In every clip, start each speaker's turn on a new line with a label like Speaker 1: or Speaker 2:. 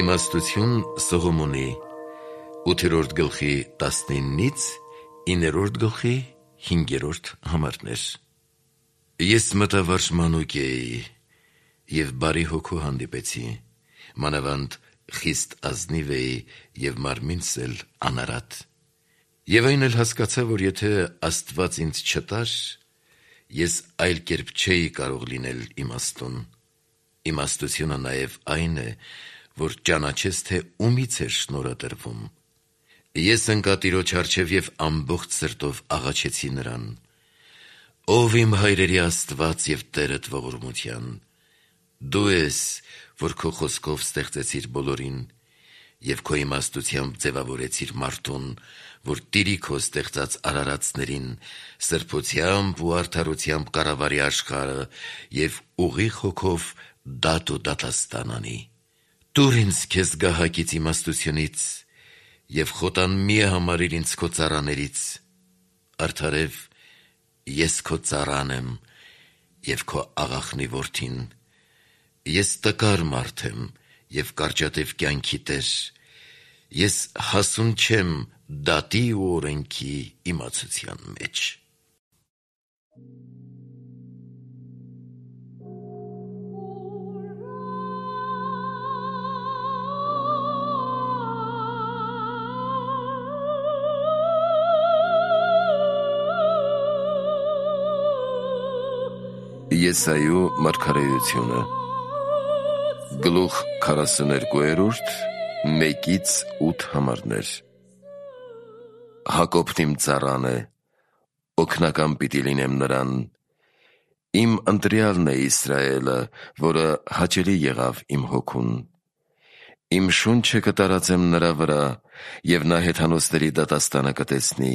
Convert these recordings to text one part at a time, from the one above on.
Speaker 1: Իմաստություն Սողոմոնի 8-րդ գլխի 19-ից 9-րդ գլխի 5-րդ համարներ։ Ես մտավարժ մանուկ էի և բարի հոգու հանդիպեցի, մանավանդ խիստ ազնիվ էի և մարմինս էլ անարատ։ Եվ այն էլ հասկացա, որ եթե Աստված ինձ չտար, ես այլ կերպ չէի կարող լինել իմաստուն։ Իմաստությունը նաև այն է, որ ճանաչես, թե ումից էր շնորհը տրվում։ Ես ընկա Տիրոջ առջև և ամբողջ սրտով աղաչեցի նրան. «Ով իմ հայրերի Աստված և Տերդ ողորմության, դու ես, որ քո խոսքով ստեղծեցիր բոլորին և քո իմաստությամբ ձևավորեցիր մարդուն, որ տիրի քո ստեղծած արարածներին, սրբությամբ ու արդարությամբ կառավարի աշխարհը և ուղիղ հոգով դատ ու դատաստան անի։ Տուր ինձ քեզ գահակից իմաստությունից և խոտան մի համարիր ինձ քո ծառաներից։ Արդարև, ես քո ծառան եմ և քո աղախնի որդին։ Ես տկար մարդ եմ և կարճատև կյանքի տեր։ Ես հասուն չեմ դատի ու օրենքի իմացության մեջ»։
Speaker 2: Եսայու մարգարեությունը գլուխ 42, 1-8 համարներ։ Հակոբն իմ ծառան է, օգնական պիտի լինեմ նրան։ Իմ ընտրյալն է Իսրայելը, որը հաճելի եղավ իմ հոգուն։ Իմ շունչը կտարածեմ նրա վրա, և նա հեթանոսների դատաստանը կտեսնի։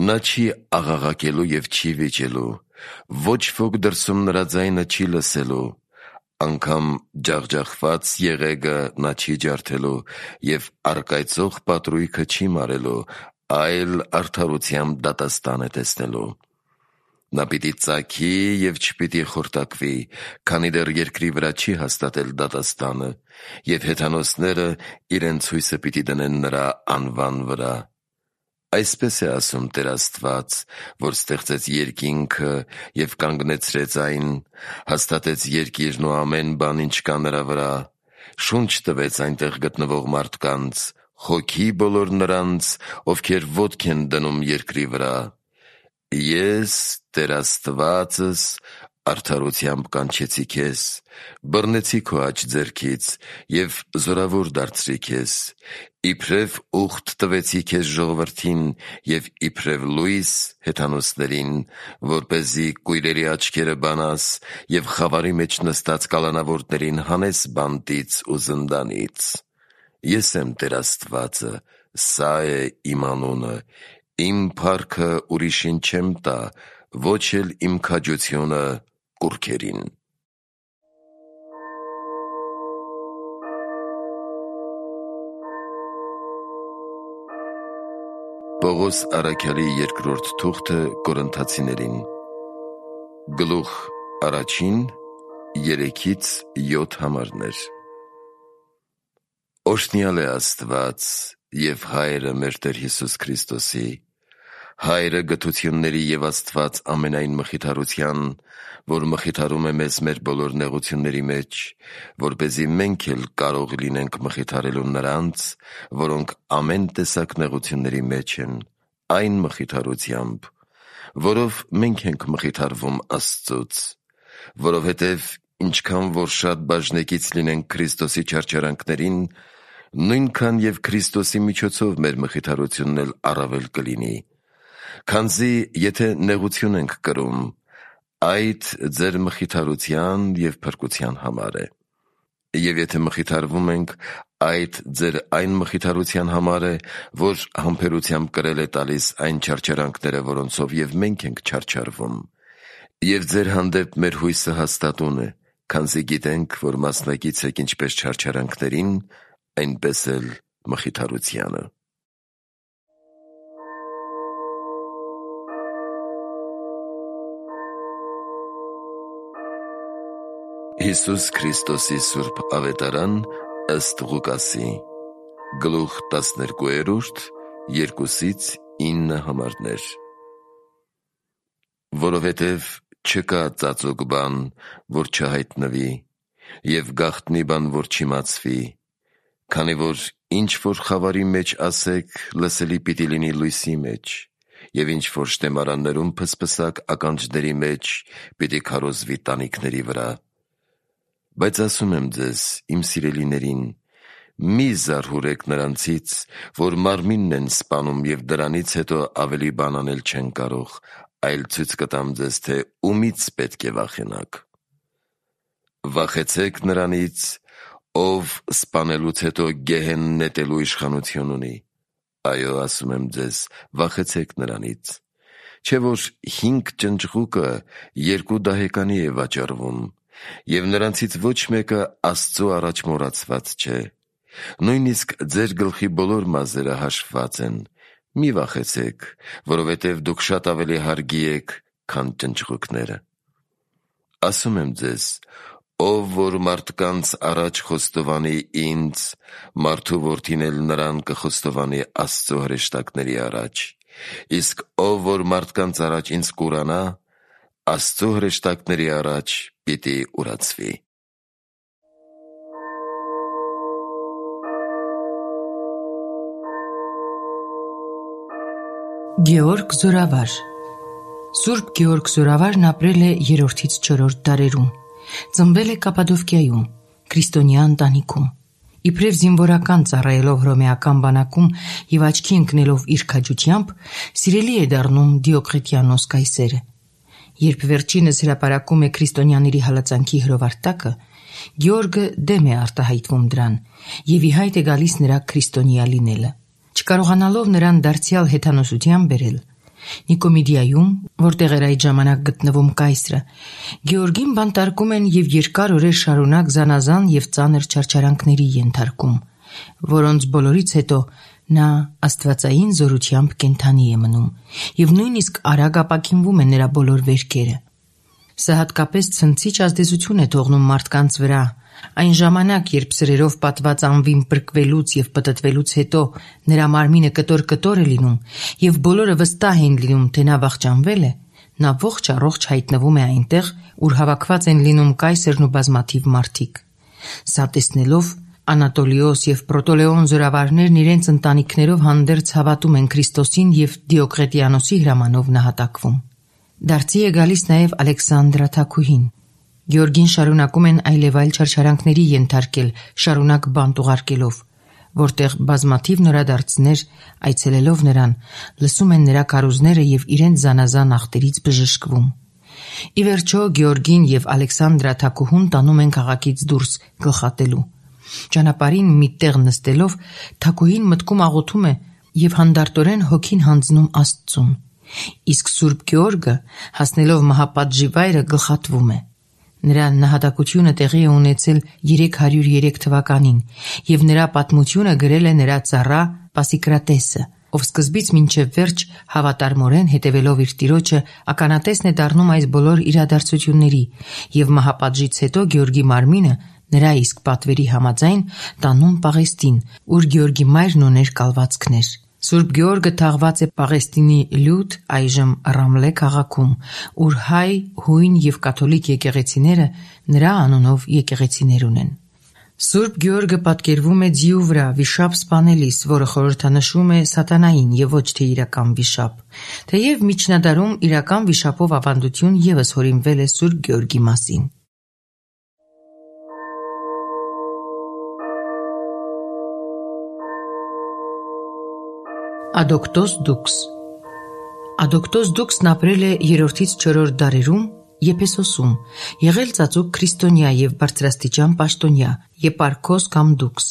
Speaker 2: Նա չի աղաղակելու և չի վիճելու, ոչ ոք դրսում նրա ձայնը չի լսելու, անգամ ջախջախված եղեգը նա չի ջարդելու և առկայծող պատրույգը չի մարելու, այլ արդարությամբ դատաստան է տեսնելու։ Նա պիտի ծագի և չպիտի խորտակվի, քանի դեռ երկրի վրա չի հաստատել դատաստանը, և հեթանոսները իրենց հույսը պիտի դնեն նրա անվան վրա։ Այսպես է ասում Տեր Աստված, որ ստեղծեց երկինքը և կանգնեցրեց այն, հաստատեց երկիրն ու ամեն բան, ինչ կա նրա վրա, շունչ տվեց այնտեղ գտնվող մարդկանց, հոգի բոլոր նրանց, ովքեր ոտք են դնում երկրի վրա։ Ես, Տեր Աստվածս, արդարությամբ կանչեցի քեզ, բռնեցի քո աջ ձեռքից և զորավոր դարձրի քեզ, իբրև ուխտ տվեցի քեզ ժողովրդին և իբրև լույս հեթանոսներին, որպեսզի կույրերի աչքերը բանաս և խավարի մեջ նստած կալանավորներին հանես բանտից ու զնդանից։ Ես եմ Տեր Աստվածը, սա է իմ անունը, իմ փառքը ուրիշին չեմ տա, ոչ էլ իմ քաջությունը կուռքերին։ Պողոս առաքյալի երկրորդ թուղթը Կորինթացիներին գլուխ 1, 3-7 համարներ։ Օրհնյալ է Աստված և Հայրը մեր Տեր Հիսուս Քրիստոսի, Հայրը գթությունների և Աստված ամենայն մխիթարության, որ մխիթարում է մեզ մեր բոլոր նեղությունների մեջ, որպեսզի մենք էլ կարող լինենք մխիթարելու նրանց, որոնք ամեն տեսակ նեղությունների մեջ են, այն մխիթարությամբ, որով մենք ենք մխիթարվում Աստծուց, որովհետև ինչքան որ շատ բաժնեկից լինենք Քրիստոսի չարչարանքներին, նույնքան և Քրիստոսի միջոցով մեր մխիթարությունն էլ առավել կլինի։ Քանզի եթե նեղություն ենք կրում, այդ ձեր մխիթարության և փրկության համար է։ Եվ եթե մխիթարվում ենք, այդ ձեր այն մխիթարության համար է, որ համբերությամբ կրել է տալիս այն չարչարանքները, որոնցով և մենք ենք չարչարվում։ Եվ ձեր հանդեպ մեր հույսը հաստատուն է, քանզի գիտենք, որ մասնակից եք ինչպես չարչարանքներին, այնպես էլ մխիթարությանը։ Հիսուս Քրիստոսի սուրբ ավետարան ըստ Ղուկասի, գլուխ 12, 2-9 համարներ։ Որովհետև չկա ծածուկ բան, որ չհայտնվի, և գաղտնի բան, որ չիմացվի, քանի որ ինչ որ խավարի մեջ ասեք, լսելի պիտի լինի լույսի մեջ, և ինչ որ շտեմարաններում փսփսակ ականջների մեջ, պիտի քարոզվի տանիքների վրա։ Բայց ասում եմ ձեզ, իմ սիրելիներին, մի զարհուրեք նրանցից, որ մարմինն են սպանում և դրանից հետո ավելի բան անել չեն կարող, այլ ցույց կտամ ձեզ, թե ումից պետք է վախենաք։ Վախեցեք նրանից, ով սպանելուց հետո գեհեն նետելու իշխանություն ունի։ Այո, ասում եմ ձեզ, վախեցեք նրանից։ Չէ որ 5 ճնճղուկը 2 դահեկանի է վաճառվում, և նրանցից ոչ մեկը Աստծու առաջ մոռացված չէ։ Նույնիսկ ձեր գլխի բոլոր մազերը հաշվված են։ Մի վախեցեք, որովհետև դուք շատ ավելի հարգի եք, քան ճնճղուկները։ Ասում եմ ձեզ, ով որ մարդկանց առաջ խոստովանի ինձ, մարդու որդին էլ նրան կխոստովանի Աստծու հրեշտակների առաջ, իսկ ով որ մարդկանց առաջ ինձ կուրանա, Աստծու հրեշտակների առաջ պիտի ուրացվի։
Speaker 3: Գեորգ Զորավար Սուրբ Գեորգ Զորավարն ապրել է 3-ից 4 դարերում։ Ծնվել է Կապադովկիայում, քրիստոնյա ընտանիքում։ Իբրև զինվորական ծառայելով հռոմեական բանակում և աչքի ընկնելով իր քաջությամբ, սիրելի է դառնում Դիոկլետիանոս կայսերը։ Երբ վերջինս հրապարակում է քրիստոնյաների հալածանքի հրովարտակը, Գեորգը դեմ է արտահայտվում դրան և ի հայտ է գալիս նրա քրիստոնյա լինելը։ Չկարողանալով նրան դարձյալ հեթանոսության բերել, Նիկոմիդիայում, որտեղ էր այդ ժամանակ գտնվում կայսրը, Գեորգին բանտարկում են և երկար օրեր շարունակ զանազան և ծանր չարչարանքների ենթարկում, որոնց բոլորից հետո նա աստվածային զորությամբ կենդանի է մնում և նույնիսկ արագ ապաքինվում են նրա բոլոր վերքերը։ Սա հատկապես ցնցիչ ազդեցություն է թողնում մարդկանց վրա, այն ժամանակ, երբ սրերով պատված անվին պրկվելուց և պտտվելուց հետո նրա մարմինը կտոր-կտոր է լինում և բոլորը վստահ են լինում, թե նա վախճանվել է, նա ողջ առողջ հայտնվում է այնտեղ, ուր հավաքված են լինում կայսերն ու բազմաթիվ մարդիկ։ Սա տեսնելով, Անատոլիոս և Պրոտոլեոն զորավարներն իրենց ընտանիքներով հանդերձ հավատում են Քրիստոսին և Դիոկլետիանոսի հրամանով նահատակվում։ Դարձի է գալիս նաև Ալեքսանդրա թագուհին։ Գեորգին շարունակում են այլևայլ չարչարանքների ենթարկել, շարունակ բանտ ուղարկելով, որտեղ բազմաթիվ նորադարձներ, այցելելով նրան, լսում են նրա քարոզները և իրենց զանազան ախտերից բժշկվում։ Ի վերջո Գեորգին և Ալեքսանդրա թագուհուն տանում են քաղաքից դուրս գլխատելու։ Ճանապարհին մի տեղ նստելով, թագուհին մտքում աղոթում է և հանդարտորեն հոգին հանձնում Աստծուն, իսկ Սուրբ Գեորգը, հասնելով մահապատժի վայրը, գլխատվում է։ Նրա նահատակությունը տեղի է ունեցել 303 թվականին և նրա պատմությունը գրել է նրա ծառա Պասիկրատեսը, ով սկզբից մինչև վերջ հավատարմորեն հետևելով իր տիրոջը ականատեսն է դառնում այս բոլոր իրադարձությունների և մահապատժից հետո Գեորգի մարմինը նրա իսկ պատվերի համաձայն տանում Պաղեստին, ուր Գեորգի մայրն ուներ կալվածքներ։ Սուրբ Գեորգը թաղված է Պաղեստինի Լյուդ, այժմ Ռամլե քաղաքում, ուր հայ, հույն և կաթոլիկ եկեղեցիները նրա անունով եկեղեցիներ ունեն։ Սուրբ Գեորգը պատկերվում է ձիու վրա վիշապ սպանելիս, որը խորհրդանշում է սատանային և ոչ թե իրական վիշապ, թեև միջնադարում իրական վիշապով ավանդություն ևս հորինվել է Սուրբ Գեորգի մասին։ Ադոկտոս Դուքս Ադոկտոս Դուքսն ապրել է 3-ից 4 դարերում Եփեսոսում, եղել ծածուկ քրիստոնյա և բարձրաստիճան պաշտոնյա, Եպարքոս կամ Դուքս։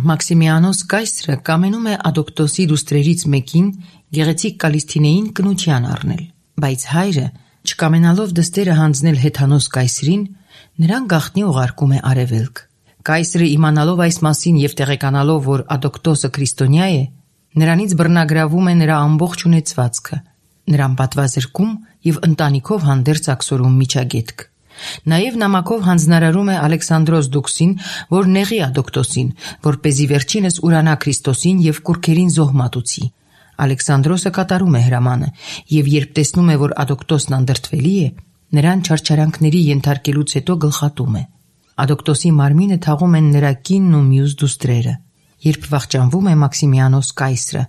Speaker 3: Մաքսիմիանոս կայսրը կամենում է Ադոկտոսի դուստրերից մեկին, գեղեցիկ Կալիսթինեին, կնության առնել, բայց հայրը, չկամենալով դստերը հանձնել հեթանոս կայսրին, նրան գաղտնի ուղարկում է արևելք։ Կայսրը իմանալով այս մասին և տեղեկանալով, որ Ադոկտոսը քրիստոնյա է, նրանից բռնագրավում է նրա ամբողջ ունեցվածքը, նրան պատվազրկում և ընտանիքով հանդերձ աքսորում միջագետք։ Նաև նամակով հանձնարարում է Ալեքսանդրոս Դուքսին, որ նեղի Ադոկտոսին, որպեսզի վերջինս ուրանա Քրիստոսին և կուռքերին զոհ մատուցի։ Ալեքսանդրոսը կատարում է հրամանը, և երբ տեսնում է, որ Ադոկտոսն անդրդվելի է, նրան չարչարանքների ենթարկելուց հետո գլխատում է։ Ադոկտոսի մարմինը թաղում են նրա կինն ու մյուս դուստրերը։ Երբ վախճանվում է Մաքսիմիանոս կայսրը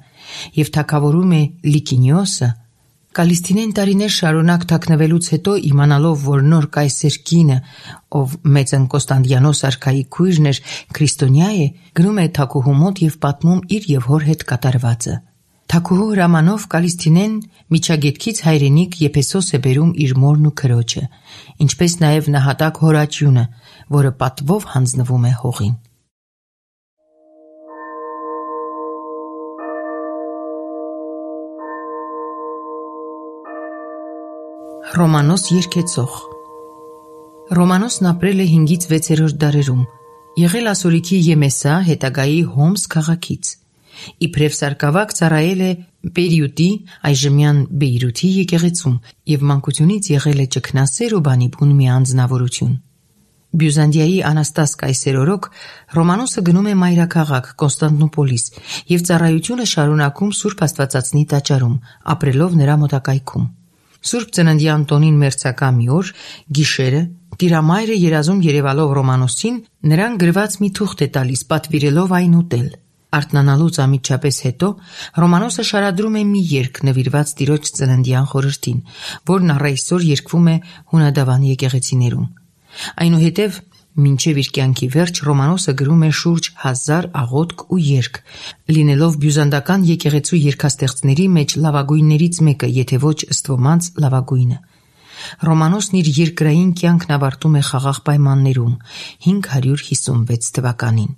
Speaker 3: և թագավորում է Լիկինիոսը, Կալիստինեն տարիներ շարունակ թաքնվելուց հետո, իմանալով, որ նոր կայսեր կինը, ով մեծն Կոստանդիանոս արքայի քույրն էր, քրիստոնյա է, գնում է թագուհու մոտ և պատմում իր և հոր հետ կատարվածը։ Թագուհու հրամանով Կալիստինեն միջագետքից հայրենիք Եփեսոս է բերում իր մորն ու քրոջը, ինչպես նաև նահատակ հորաճյունը, որը պատվով հանձնվում է հողին։ Ռոմանոս երգեցող Ռոմանոսն ապրել է 5-ից 6-րդ դարերում, եղել ասորիքի Եմեսա, հետագայի Հոմս քաղաքից։ Իբրև սարկավակ ծառայել է Պերիուտի, այժմյան Բեյրութի եկեղեցում և մանկությունից եղել է ճգնասեր ու բանիբուն մի անձնավորություն։ Բյուզանդիայի Անաստաս կայսեր օրոք Ռոմանոսը գնում է մայրաքաղաք Կոնստանդնուպոլիս և ծառայությունը շարունակում Սուրբ Աստվածածնի տաճարում, ապրելով նրա մոտակայքում։ Սուրբ ծննդյան տոնին մերձակա մի օր, գիշերը, տիրամայրը երազում երևալով Ռոմանոսին, նրան գրված մի թուղթ է տալիս, պատվիրելով այն ուտել։ Արթնանալուց անմիջապես հետո Ռոմանոսը շարադրում է մի երգ նվիրված Տիրոջ ծննդյան խորհրդին, որն առ այսօր երգվում է հունադավան եկեղեցիներում։ Այնուհետև մինչև իր կյանքի վերջ Ռոմանոսը գրում է շուրջ 1000 աղոթք ու երգ, լինելով բյուզանդական եկեղեցու երգաստեղծների մեջ լավագույններից մեկը, եթե ոչ ըստ ոմանց լավագույնը։ Ռոմանոսն իր երկրային կյանքն ավարտում է խաղաղ պայմաններում 556 թվականին։